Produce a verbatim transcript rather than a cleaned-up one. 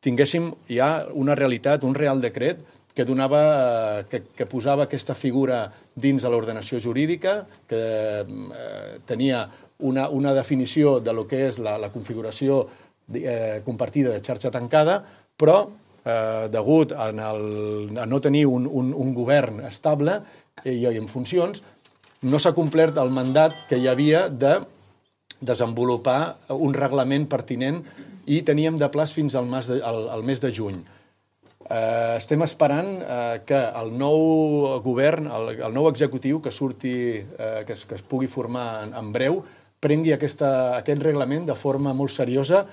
tinguéssim ja una realitat, un real decret que, donava, que, que posava aquesta figura dins de l'ordenació jurídica, que eh, tenia una, una definició de lo que és la, la configuració eh, compartida de xarxa tancada, però eh, degut a, el, a no tenir un, un, un govern estable i, i en funcions, no s'ha complert el mandat que hi havia de desenvolupar un reglament pertinent i teníem de plaç fins al mes de, al, al mes de juny. Eh, estem esperant eh, que el nou govern, el, el nou executiu que surti, eh, que, es, que es pugui formar en, en breu, prengui aquesta, aquest reglament de forma molt seriosa